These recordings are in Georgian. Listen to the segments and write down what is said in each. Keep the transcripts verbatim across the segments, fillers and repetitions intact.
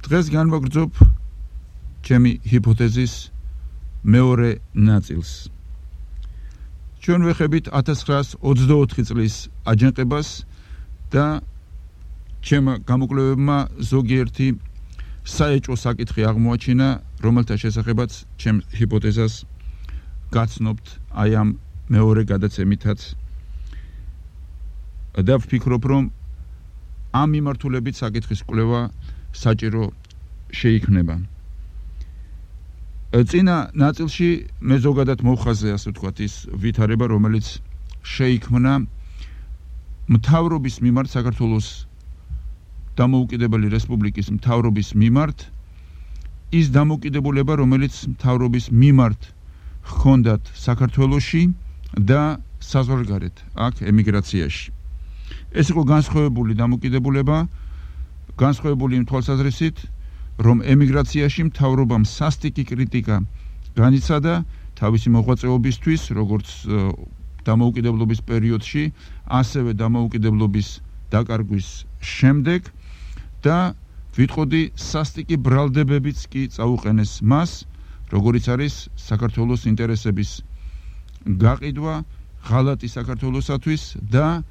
დღეს განვაგრძობ ჩემი ჰიპოთეზის მეორე ნაწილს. ჩვენ ვეხებით ათას ცხრაას ოცდაოთხი წლის აჯანყებას და ჩემმა გამოკვლევებმა ზოგიერთი საეჭვო საკითხი აღმოაჩინა, რომელთა შესახებაც ჩემ ჰიპოთეზას გაცნობთ აი ამ მეორე გადაცემითაც. და ვფიქრობ, რომ ამ მიმართულებით საკითხის კვლევა საჭირო შეიქმნება. წინა ნაწილში მე ზოგადად მოვხაზე, ასე ვთქვათ, ის ვითარება, რომელიც შეიქმნა მთავრობის მიმართ, საქართველოს დამოუკიდებელი რესპუბლიკის მთავრობის მიმართ, ის დამოუკიდებულება, რომელიც მთავრობის მიმართ ჰქონდათ საქართველოში და საზღვარგარეთ, აქ ემიგრაციაში. ეს იყო განსხვავებული დამოუკიდებულება, განსხვავებული იმ თვალსაზრისით, რომ ემიგრაციაში მთავრობამ სასტიკი კრიტიკა განიცადა თავისი მოღვაწეობისთვის, როგორც დამოუკიდებლობის პერიოდში, ასევე დამოუკიდებლობის დაკარგვის შემდეგ და ვიტყოდი სასტიკი ბრალდებებიც კი წაუყენეს მას, როგორიც არის საქართველოს ინტერესების გაყიდვა, ღალატი საქართველოსათვის და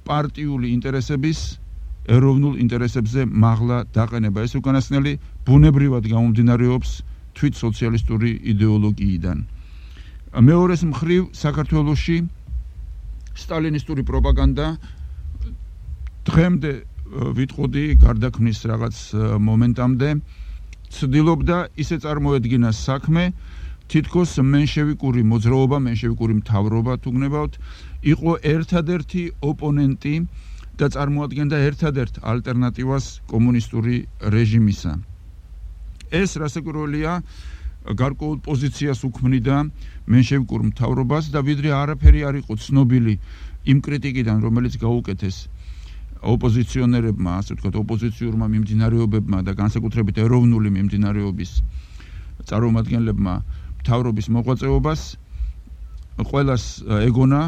პარტიული ინტერესების ეროვნულ ინტერესებზე მაღლა დაყენება. ეს უკანასკნელი ბუნებრივად გამომდინარეობს თვით სოციალისტური იდეოლოგიიდან. მეორეს მხრივ საქართველოში სტალინისტური პროპაგანდა დღემდე ვიტყოდი გარდაქმნის რაღაც მომენტამდე ცდილობდა ისე წარმოედგინა საქმე, თითქოს მენშევიკური მოძრაობა, მენშევიკური მთავრობა თუ გნებავთ, იყო ერთადერთი ოპონენტი და წარმოადგენდა ერთადერთ ალტერნატივას კომუნისტური რეჟიმისა. ეს რასაკვირველია გარკვეულ პოზიციას უქმნიდა მენშევიკურ მთავრობას და ვიდრე არაფერი არ იყო ცნობილი იმ კრიტიკიდან, რომელიც გაუკეთეს ოპოზიციონერებმა, ასე ვთქვათ, ოპოზიციურმა მიმდინარეობებმა და განსაკუთრებით ეროვნული მიმდინარეობის წარმომადგენლებმა მთავრობის მოღვაწეობას, ყველას ეგონა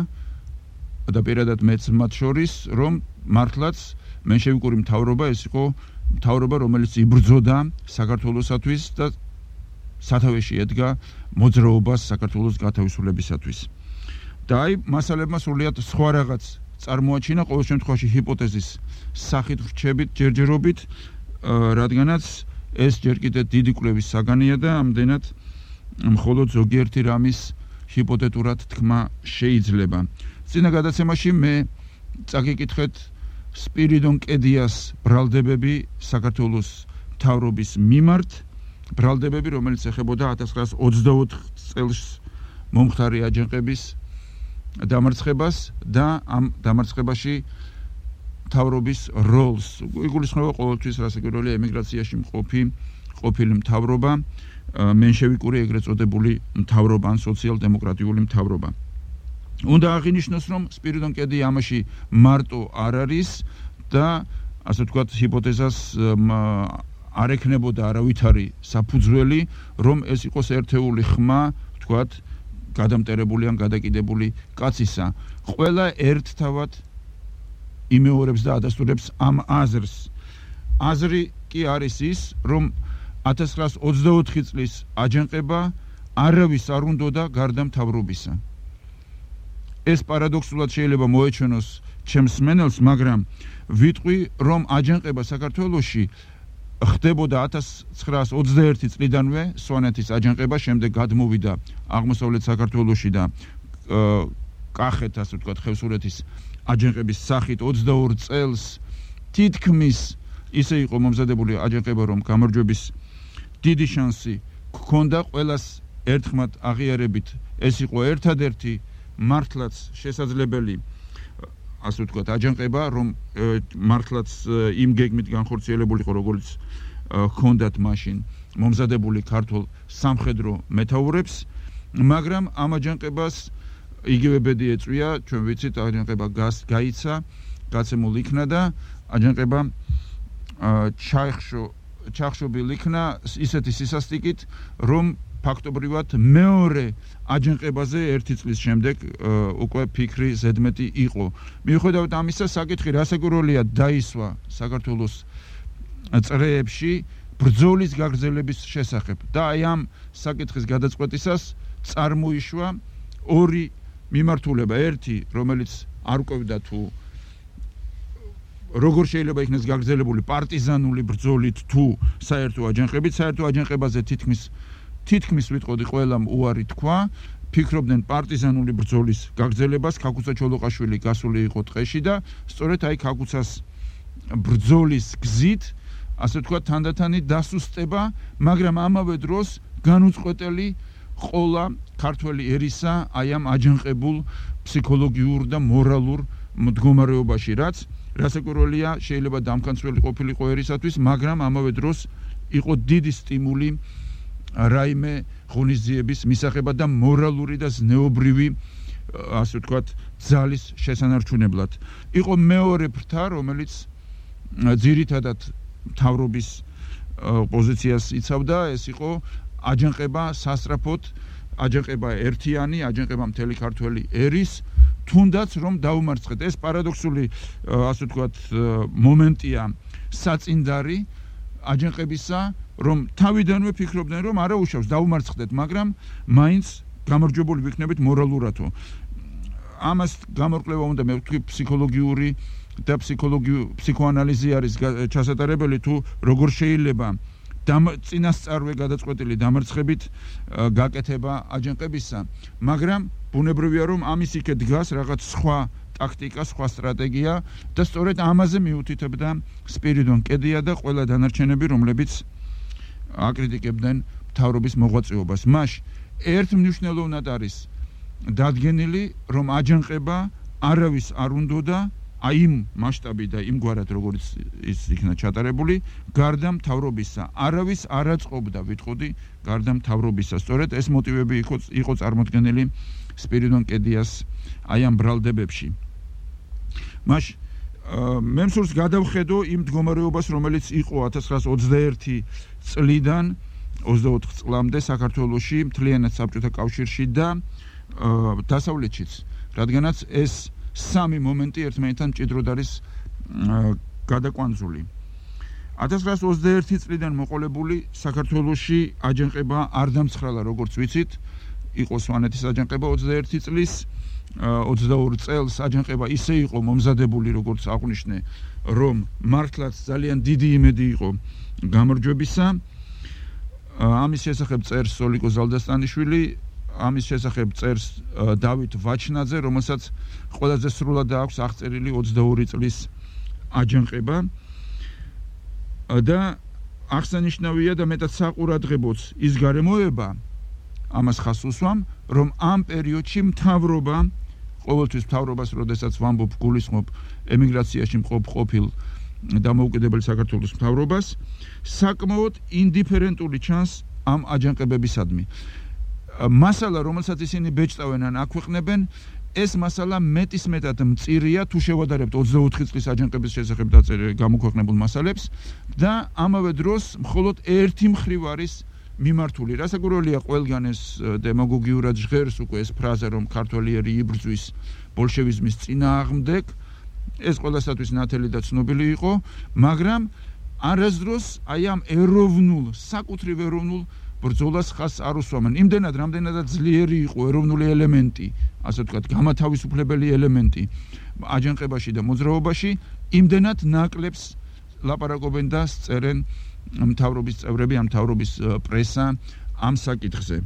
და პირადად მეც მათ შორის, რომ მართლაც მენშევიკური მთავრობა ეს იყო მთავრობა, რომელიც იბრძოდა საქართველოსათვის და სათავეში ედგა მოძრაობას საქართველოს გათავისუფლებისათვის. და აი მასალებმა სრულიად სხვა რაღაც წარმოაჩინა, ყოველ შემთხვევაში ჰიპოთეზის სახით ვრჩებით ჯერჯერობით, რადგანაც ეს ჯერ კიდევ დიდი კვლევის საგანია და ამდენად მხოლოდ ზოგიერთი რამის ჰიპოთეტურად თქმა შეიძლება. წინა გადაცემაში მე წაგიკითხეთ სპირიდონ კედიას ბრალდებები საქართველოს მთავრობის მიმართ, ბრალდებები, რომელიც ეხებოდა ათას ცხრაას ოცდაოთხ წელს მომხდარი აჯანყების დამარცხებას და ამ დამარცხებაში მთავრობის როლს. იგულისხმება ყოველთვის რასაკვირველია ემიგრაციაში მყოფი ყოფილი მთავრობა, მენშევიკური ეგრეთ წოდებული მთავრობა ან სოციალ-დემოკრატიული მთავრობა. უნდა აღინიშნოს, რომ სპირიდონ კედია ამაში მარტო არ არის და ასე ვთქვათ, ჰიპოთეზას არ ექნებოდა არავითარი საფუძველი, რომ ეს იყოს ერთეული ხმა, ვთქვათ, გადამტერებული ან გადაკიდებული კაცისა. ყველა ერთთავად იმეორებს და ადასტურებს ამ აზრს. აზრი კი არის ის, რომ ათას ცხრაას ოცდაოთხი წლის აჯანყება არავის არ უნდოდა გარდა მთავრობისა. ეს პარადოქსულად შეიძლება მოეჩვენოს ჩემს მსმენელს, მაგრამ ვიტყვი, რომ აჯანყება საქართველოში ხდებოდა ათას ცხრაას ოცდაერთი წლიდანვე, სვანეთის აჯანყება, შემდეგ გადმოვიდა აღმოსავლეთ საქართველოში და კახეთ, ასე ვთქვათ, ხევსურეთის აჯანყების სახით ოცდაორ წელს თითქმის ისე იყო მომზადებული აჯანყება, რომ გამარჯვების დიდი შანსი გქონდა, ყველას ერთხმად აღიარებით ეს იყო ერთადერთი მართლაც შესაძლებელი, ასე ვთქვათ, აჯანყება, რომ მართლაც იმ გეგმით განხორციელებული იყო, როგორც ჰქონდათ მაშინ მომზადებული ქართულ სამხედრო მეთაურებს, მაგრამ ამ აჯანყებას იგივე ბედი ეწვია, ჩვენ ვიცით, აჯანყება გაიცა, გაცემულ იქნა და აჯანყება ჩაიხშო ჩახშობილ იქნა ისეთი სისასტიკით, რომ ფაქტობრივად მეორე აჯანყებაზე ერთი წლის შემდეგ უკვე ფიქრი ზედმეტი იყო. მიუხედავად ამისა, საკითხი რასაკვირველია დაისვა საქართველოს წრეებში ბრძოლის გაგრძელების შესახებ და აი ამ საკითხის გადაწყვეტისას წარმოიშვა ორი მიმართულება, ერთი, რომელიც არ ყვევდა თუ როგორ შეიძლება იქნეს გაგრძელებული პარტიზანული ბრძოლით თუ საერთო აჯანყებით, საერთო აჯანყებაზე თითქმის თითქმის ვიტყოდი ყველამ უარი თქვა, ფიქრობდნენ პარტიზანული ბრძოლის გაგრძელებას, ქაქუცა ჩოლოყაშვილი გასული იყო ტყეში და სწორედ აი ქაქუცას ბრძოლის გზით, ასე ვთქვათ, თანდათანი დასუსტება, მაგრამ ამავე დროს განუწყვეტელი ყოლა ქართველი ერისა აი ამ აჯანყებულ ფსიქოლოგიურ და მორალურ მდგომარეობაში, რაც რასაკვირველია, შეიძლება დამქანცველი ყოფილიყო ერისათვის, მაგრამ ამავე დროს იყო დიდი სტიმული რაიმე ღონისძიების მისაღებად და მორალური და ზნეობრივი, ასე ვთქვათ, ძალის შესანარჩუნებლად. იყო მეორე ფრთა, რომელიც ძირითადად მთავრობის პოზიციას იცავდა, ეს იყო აჯანყება სასწრაფოდ, აჯანყება ერთიანი, აჯანყება მთელი ქართველი ერის, თუნდაც რომ დაუმარცხეთ. ეს პარადოქსული, ასე ვთქვათ, მომენტია საწინდარი აჯანყებისა, რომ თავიდანვე ფიქრობდნენ, რომ არა უშავს დაუმარცხდეთ, მაგრამ მაინც გამარჯვებული ვიქნებით მორალურათო. ამას გამორკვევა უნდა მე ვთქვი ფსიქოლოგიური და ფსიქოანალიზი არის ჩასატარებელი თუ როგორ შეიძლება წინასწარვე გადაწყვეტილი დამარცხებით გაკეთება აჯანყებისა, მაგრამ ბუნებრივია რომ ამის იქე დგას რაღაც სხვა ტაქტიკა, სხვა სტრატეგია და სწორედ ამაზე მიუთითებდა სპირიდონ კედია და ყველა დანარჩენები, რომლებიც აკრიტიკებდნენ მთავრობის მოღვაწეობას. მას ერთ მნიშვნელოვნად არის დადგენილი, რომ აჯანყება არავის არ უნდოდა აი იმ მასშტაბი და იმგვარად როგორც ის იქნა ჩატარებული, გარდა მთავრობისა. არავის არ აწყობდა, ვიტყოდი, გარდა მთავრობისა. სწორედ ეს მოტივები იყო იყო წარმოდგენილი სპირიდონ კედიას აი ამ ბრალდებებში. მას მე მსურს გადავხედო იმ მდგომარეობას, რომელიც იყო ათას ცხრაასა ოცდაერთი წლიდან ოცდაოთხ წლამდე საქართველოში, მთლიანად საბჭოთა კავშირში და დასავლეთშიც, რადგანაც ეს სამი მომენტი ერთმანეთთან მჭიდროდ არის გადაკვანძული. ათას ცხრაასა ოცდაერთი წლიდან მოყოლებული საქართველოში აჯანყება არ დამცხრალა, როგორც ვიცით, იყო სვანეთის აჯანყება ოცდაერთი წლის, ოცდაორ წელს აჯანყება ისე იყო მომზადებული, როგორც აღვნიშნე, რომ მართლაც ძალიან დიდი იმედი იყო გამარჯვებისა. ამის შესახებ წერს სოლიკო ზალდასტანიშვილი, ამის შესახებ წერს დავით ვაჩნაძე, რომელსაც ყველაზე სრულად აქვს აღწერილი ოცდაორი წლის აჯანყება და აღსანიშნავია და მეტად საყურადღებოც ის გარემოება ამას ხაზს უსვამ, რომ ამ პერიოდში მთავრობა, ყოველთვის მთავრობას, როდესაც ვამბობ, გულისხმობ ემიგრაციაში მყოფ ყოფილ დამოუკიდებელი საქართველოს მთავრობას, საკმაოდ ინდიფერენტული ჩანს ამ აჯანყებებისადმი. მასალა, რომელსაც ისინი ბეჭდავენ ან აქვეყნებენ, ეს მასალა მეტისმეტად მწირია თუ შევადარებთ ოცდაოთხი წლის აჯანყების შესახებ გამოქვეყნებულ მასალებს და ამავე დროს მხოლოდ ერთი მხრივ არის მიმართული. რასაკვირველია, ყველგან ეს დემაგოგიურად ჟღერს უკვე ეს ფრაზა, რომ ქართველი ერი იბრძვის ბოლშევიზმის წინააღმდეგ, ეს ყველასათვის ნათელი და ცნობილი იყო, მაგრამ არასდროს აი ამ ეროვნულ, საკუთრივ ეროვნულ ბრძოლას ხაზს არ უსვამენ. იმდენად, რამდენადაც ძლიერი იყო ეროვნული ელემენტი, ასე ვთქვათ, გამათავისუფლებელი ელემენტი აჯანყებაში და მოძრაობაში, იმდენად ნაკლებს ლაპარაკობენ და წერენ მთავრობის წევრები, ამ მთავრობის პრესა ამ საკითხზე.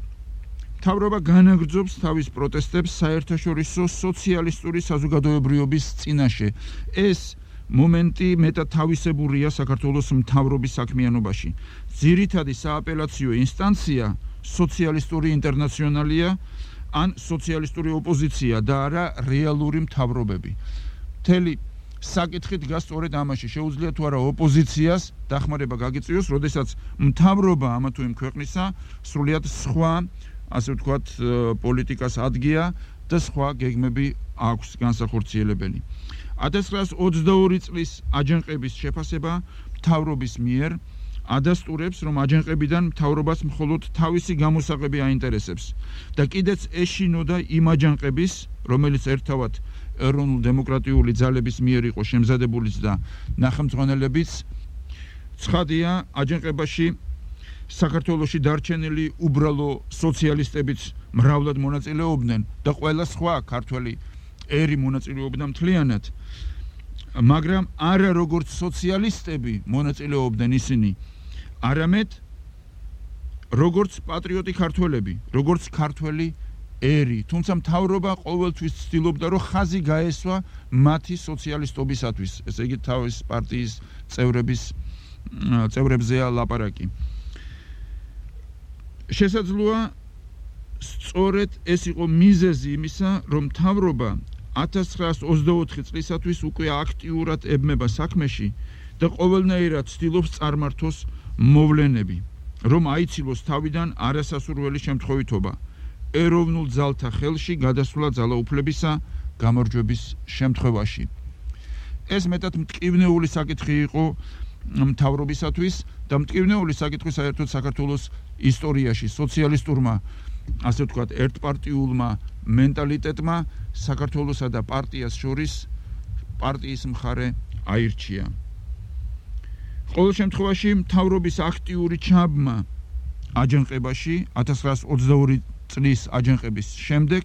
მთავრობა განაგრძობს თავის პროტესტებს საერთაშორისო სოციალისტური საზოგადოებრიობის წინაშე. ეს მომენტი მეტად თავისებურია საქართველოს მთავრობის საქმიანობაში. ძირითადი სააპელაციო ინსტანცია სოციალისტური ინტერნაციონალია ან სოციალისტური ოპოზიცია და არა რეალური მთავრობები. მთელი საკითხი დგას სწორედ ამაში. შეუძლია თუ არა ოპოზიციას დახმარება გაგიწიოს, როდესაც მთავრობა ამა თუ იმ ქვეყნისა სრულიად სხვა, ასე ვთქვათ, პოლიტიკას ადგია და სხვა გეგმები აქვს განსახორციელებელი. ათას ცხრაასა ოცდაორი წლის აჯანყების შეფასება მთავრობის მიერ ადასტურებს, რომ აჯანყებიდან მთავრობას მხოლოდ თავისი გამოსაღები აინტერესებს და კიდეც ეშინოდა იმ აჯანყების, რომელიც ერთავად ეროვნულ-დემოკრატიული ძალების მიერ იყო შემზადებულიც და ნახემძღვანელებიც ცხადია, აჯანყებაში საქართველოში დარჩენილი უბრალო სოციალისტებიც მრავლად მონაწილეობდნენ და ყველა სხვა ქართველი ერი მონაწილეობდა მთლიანად, მაგრამ არა როგორც სოციალისტები მონაწილეობდნენ ისინი, არამედ როგორც პატრიოტი ქართველები, როგორც ქართველი ერი, თუმცა მთავრობა ყოველთვის ცდილობდა, რომ ხაზი გაესვა მათი სოციალისტობისათვის, ესე იგი თავის პარტიის წევრების წევრებზეა ლაპარაკი. შესაძლოა სწორედ ეს იყო მიზეზი იმისა, რომ მთავრობა ათას ცხრაასი ოცდაოთხი წლისათვის უკვე აქტიურად ებმება საქმეში და ყოველნაირად ცდილობს წარმართოს მოვლენები, რომ აიცილოს თავიდან არასასურველი შემთხვევითობა ეროვნულ ძალთა ხელში გადასვლა ძალაუფლებისა გამარჯვების შემთხვევაში. ეს მეტად მტკივნეული საკითხი იყო მთავრობისათვის და მტკივნეული საკითხი საერთოდ საქართველოს ისტორიაში სოციალისტურმა, ასე ვთქვათ, ერთპარტიულმა მენტალიტეტმა საქართველოსა და პარტიას შორის პარტიის მხარე აირჩია. ყოველ შემთხვევაში მთავრობის აქტიური ჩაბმა აჯანყებაში ათას ცხრაასი ოცდაორი წლის აჯანყების შემდეგ,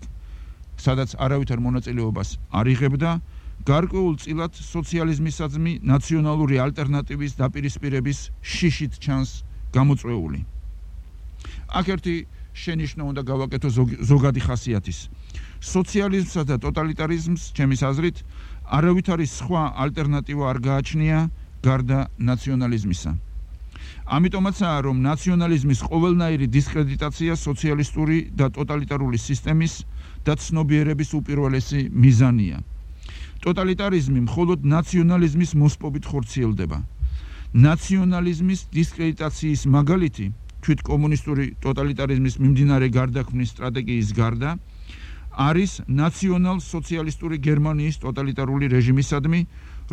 სადაც არავითარ მონაწილეობას არ იღებდა, გარკვეულ წილად სოციალიზმისადმი ნაციონალური ალტერნატივის დაპირისპირების შიშით ჩანს გამოწვეული. აქ ერთი შენიშვნა უნდა გავაკეთო ზოგადი ხასიათის. სოციალიზმსა და ტოტალიტარიზმს, ჩემის აზრით, არავითარი სხვა ალტერნატივა არ გააჩნია გარდა ნაციონალიზმისა. ამიტომაცაა, რომ ნაციონალიზმის ყოველნაირი დისკრედიტაცია სოციალისტური და ტოტალიტარული სისტემის და ცნობიერების უპირველესი მიზანია. ტოტალიტარიზმი მხოლოდ ნაციონალიზმის მოსპობით ხორციელდება. ნაციონალიზმის დისკრედიტაციის მაგალითი, თვით კომუნისტური ტოტალიტარიზმის მიმდინარე გარდაქმნის სტრატეგიის გარდა, არის ნაციონალ-სოციალისტური გერმანიის ტოტალიტარული რეჟიმისადმი,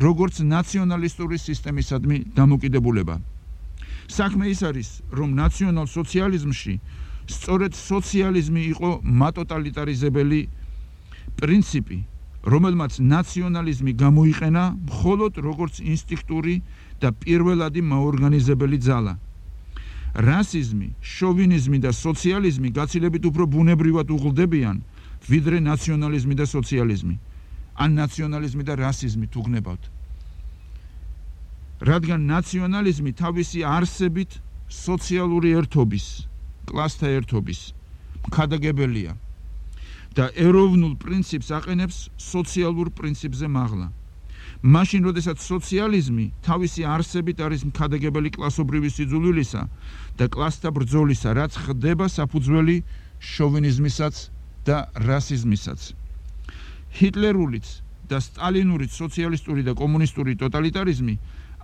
როგორც ნაციონალისტური სისტემისადმი დამოკიდებულება. საქმე ის არის, რომ ნაციონალ-სოციალიზმში სწორედ სოციალიზმი იყო მატოტალიტარიზებელი პრინციპი, რომელმაც ნაციონალიზმი გამოიყენა მხოლოდ როგორც ინსტინქტური და პირველადი მაორგანიზებელი ძალა. რასიზმი, შოვინიზმი და სოციალიზმი გაცილებით უფრო ბუნებრივად უღლდებიან, ვიდრე ნაციონალიზმი და სოციალიზმი, ან ნაციონალიზმი და რასიზმი თუ გნებავთ. რადგან ნაციონალიზმი თავისი არსებით სოციალური ერთობის, კლასთა ერთობის მქადაგებელია და ეროვნულ პრინციპს აყენებს სოციალურ პრინციპზე მაღლა. მაშინ, როდესაც სოციალიზმი თავისი არსებით არის მქადაგებელი კლასობრივი სიძულვილისა და კლასთა ბრძოლისა, რაც ხდება საფუძველი შოვინიზმისაც და რასიზმისაც. ჰიტლერულიც და სტალინურიც სოციალისტური და კომუნისტური ტოტალიტარიზმი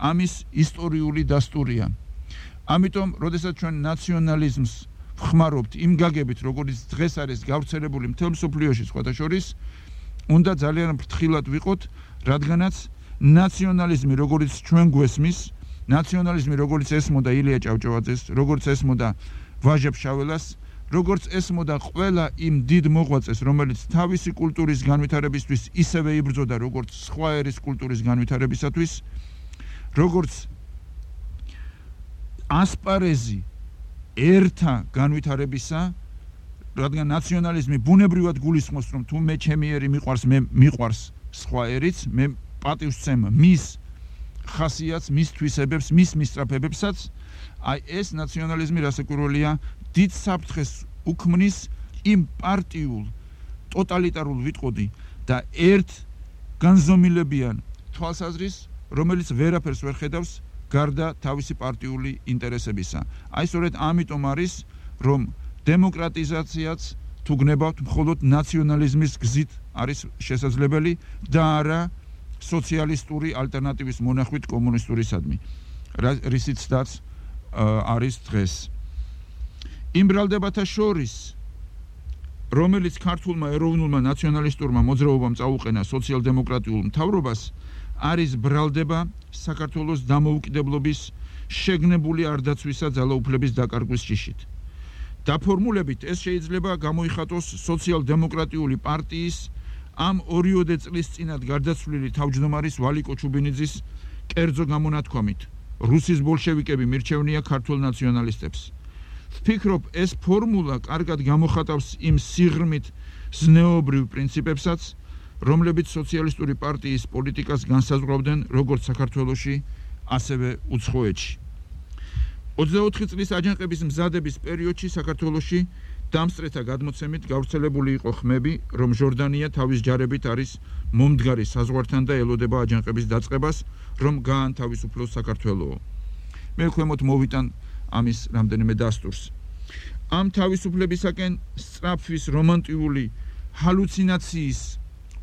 ამის ისტორიული დასტურია. ამიტომ, როდესაც ჩვენ ნაციონალიზმს ვხმარობთ იმ გაგებით, როგორც დღეს არის გავრცელებული მთელ მსოფლიოში სხვათა შორის, უნდა ძალიან ფრთხილად ვიყოთ, რადგანაც ნაციონალიზმი, როგორც ჩვენ გვესმის, ნაციონალიზმი, როგორც ესმოდა ილია ჭავჭავაძეს, როგორც ესმოდა ვაჟა ფშაველას, როგორც ესმოდა ყველა იმ დიდ მოღვაწეს, რომელიც თავისი კულტურის განვითარებისთვის ისევე იბრძოდა, როგორც სხვა ერის კულტურის განვითარებისათვის, როგორც ასპარეზი ერთა განვითარებისა, რადგან ნაციონალიზმი ბუნებრივად გულისხმობს, რომ თუ მე ჩემი ერი მიყვარს, მე მიყვარს სხვა ერიც, მე პატივს ვცემ მის ხასიათს, მის თვისებებს, მის მისწრაფებებსაც, აი ეს ნაციონალიზმი რასაკვირველია დიდ საფრთხეს უქმნის იმ პარტიულ, ტოტალიტარულ ვიტყოდი და ერთ განზომილებიან თვალსაზრისს, რომელიც ვერაფერს ვერ ხედავს გარდა თავისი პარტიული ინტერესებისა. აი სწორედ ამიტომ არის, რომ დემოკრატიზაციაც თუ გნებავთ მხოლოდ ნაციონალიზმის გზით არის შესაძლებელი და არა სოციალისტური ალტერნატივის მონახვით კომუნისტურისადმი, რისიცაც არის დღეს. იმ ბრალდებათა შორის, რომელიც ქართულმა ეროვნულმა ნაციონალისტურმა მოძრაობამ წაუყენა სოციალ-დემოკრატიულ მთავრობას, არის ბრალდება საქართველოს დამოუკიდებლობის შეგნებული არდაცვისა ძალაუფლების დაკარგვის ჯიშით. დაფორმულებით ეს შეიძლება გამოიხატოს სოციალ-დემოკრატიული პარტიის ამ ორიოდე წლის წინათ გარდაცვლილი თავმჯდომარის ვალიკო ჩუბინიძის კერძო გამონათქვამით, რუსის ბოლშევიკები მირჩევნია ქართულ ნაციონალისტებს. ვფიქრობ, ეს ფორმულა კარგად გამოხატავს იმ სიღრმით ზნეობრივ პრინციპებსაც, რომლებიც სოციალისტური პარტიის პოლიტიკას განსაზღვრავდნენ როგორც საქართველოში, ასევე უცხოეთში. ოცდაოთხი წლის აჯანყების მზადების პერიოდში საქართველოში დამსწრეთა გადმოცემით გავრცელებული იყო ხმები, რომ ჟორდანია თავის ჯარებით არის მომდგარი საზღვართან და ელოდება აჯანყების დაწყებას, რომ გაანთავისუფლოს საქართველო. მე ქვემოთ მოვიტან ამის რამდენიმე დასტურს. ამ თავისუფლებისაკენ სწრაფვის რომანტიული ჰალუცინაციის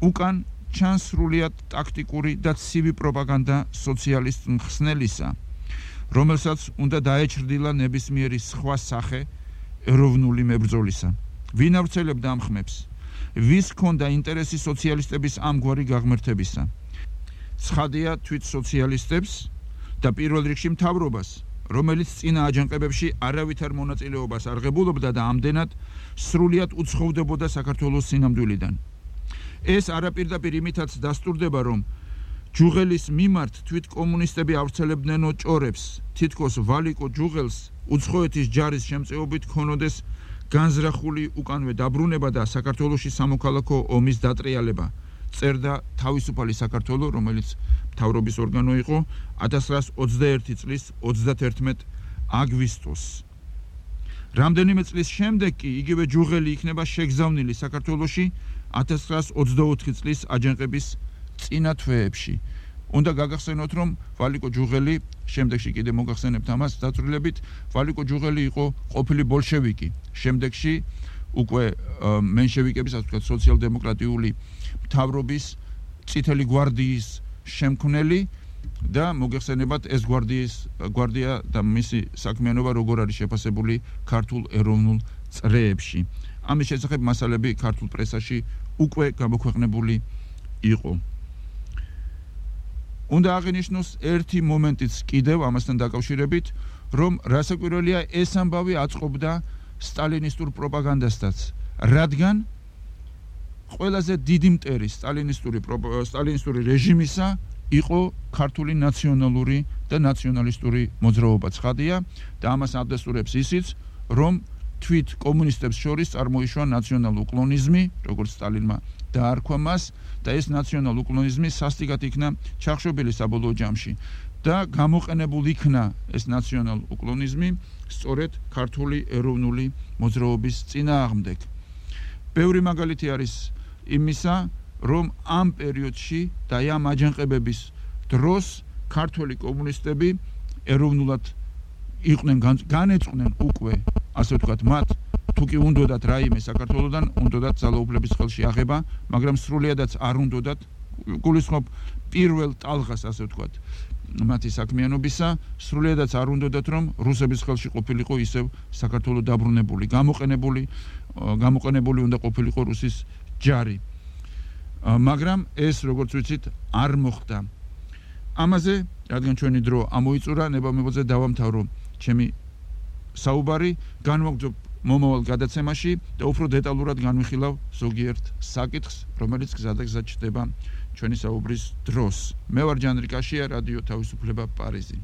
უკან ჩანს სრულიად ტაქტიკური და ცივი პროპაგანდა სოციალისტ მხსნელისა, რომელსაც უნდა დაეჩრდილა ნებისმიერი სხვა სახე ეროვნული მებრძოლისა. ვინ ავრცელებდა ამ ხმებს? ვის ჰქონდა ინტერესი სოციალისტების ამგვარი გაღმერთებისა? ცხადია თვით სოციალისტებს და პირველ რიგში მთავრობას, რომელიც წინა აჯანყებებში არავითარ მონაწილეობას არ ღებულობდა და ამდენად სრულიად უცხოვდებოდა საქართველოს სინამდვილიდან. ეს არაპირდაპირ იმითაც დასტურდება, რომ ჯუღელის მიმართ თვით კომუნისტები ავრცელებდნენო ჭორებს, თითქოს ვალიკო ჯუღელს უცხოეთის ჯარის შემწეობით ქონოდეს განზრახული უკანვე დაბრუნება და საქართველოში სამოქალაქო ომის დატრიალება. წერდა თავისუფალი საქართველო, რომელიც მთავრობის ორგანო იყო ათას ცხრაასი ოცდაერთი წლის ოცდათერთმეტ აგვისტოს. რამდენიმე წლის შემდეგ კი იგივე ჯუღელი იქნება შეგზავნილი საქართველოში ათას ცხრაასი ოცდაოთხი წლის აჯანყების წინა თვეებში. უნდა გაგახსენოთ, რომ ვალიკო ჯუღელი, შემდეგში კიდე მოგახსენებთ ამას დაწვრილებით, ვალიკო ჯუღელი იყო ყოფილი ბოლშევიკი. შემდეგში უკვე მენშევიკების, ასე ვთქვათ, სოციალ-დემოკრატიული მთავრობის წითელი გვარდიის შემქმნელი და მოგეხსენებათ ეს გვარდიის გვარდია და მისი საქმიანობა როგორ არის შეფასებული ქართულ ეროვნულ წრეებში. ამის შესახებ მასალები ქართულ პრესაში უკვე გამოქვეყნებული იყო. უნდა აღინიშნოს ერთი მომენტიც კიდევ ამასთან დაკავშირებით, რომ რასაკვირველია ეს ამბავი აწყობდა სტალინისტურ პროპაგანდასთან, რადგან ყველაზე დიდი მტერი სტალინისტური სტალინისტური რეჟიმისა იყო ქართული ნაციონალური და ნაციონალისტური მოძრაობა. ცხადია და ამას ადასტურებს ისიც, რომ თვით კომუნისტებს შორის წარმოიშვა ნაციონალ-უკლონიზმი, როგორც სტალინმა დაარქვა მას და ეს ნაციონალ-უკლონიზმი სასტიკად იქნა ჩახშობილი საბოლოო ჯამში და გამოყენებულ იქნა ეს ნაციონალ-უკლონიზმი სწორედ ქართული ეროვნული მოძრაობის წინააღმდეგ. ბევრი მაგალითი არის იმისა, რომ ამ პერიოდში და ამ აჯანყებების დროს ქართველი კომუნისტები ეროვნულად იყვნენ განეწყვნენ უკვე, ასე ვთქვათ, მათ თუ კი უნდოდათ რაიმე საქართველოდან, უნდოდათ ძალაუფლების ხელში აღება, მაგრამ სრულიადაც არ უნდოდათ, გულისხმობ პირველ ტალღას, ასე ვთქვათ, მათი საქმიანობისა, სრულიადაც არ უნდოდათ, რომ რუსების ხელში ყოფილიყო ისევ საქართველო დაბრუნებული, გამოყენებული, გამოყენებული უნდა ყოფილიყო რუსის ჯარი. მაგრამ ეს, როგორც ვიცით, არ მოხდა. ამაზე, რადგან ჩვენი დრო ამოიწურა, ნება-მებოძე დავამთავრო ჩემი საუბარი, განვაგრძობ მომავალ გადაცემაში და უფრო დეტალურად განვიხილავ ზოგიერთ საკითხს, რომელიც გზადაგზად ჩდება ჩვენი საუბრის დროს. მე ვარ ჯანრი კაშია, რადიო თავისუფლება პარიზი.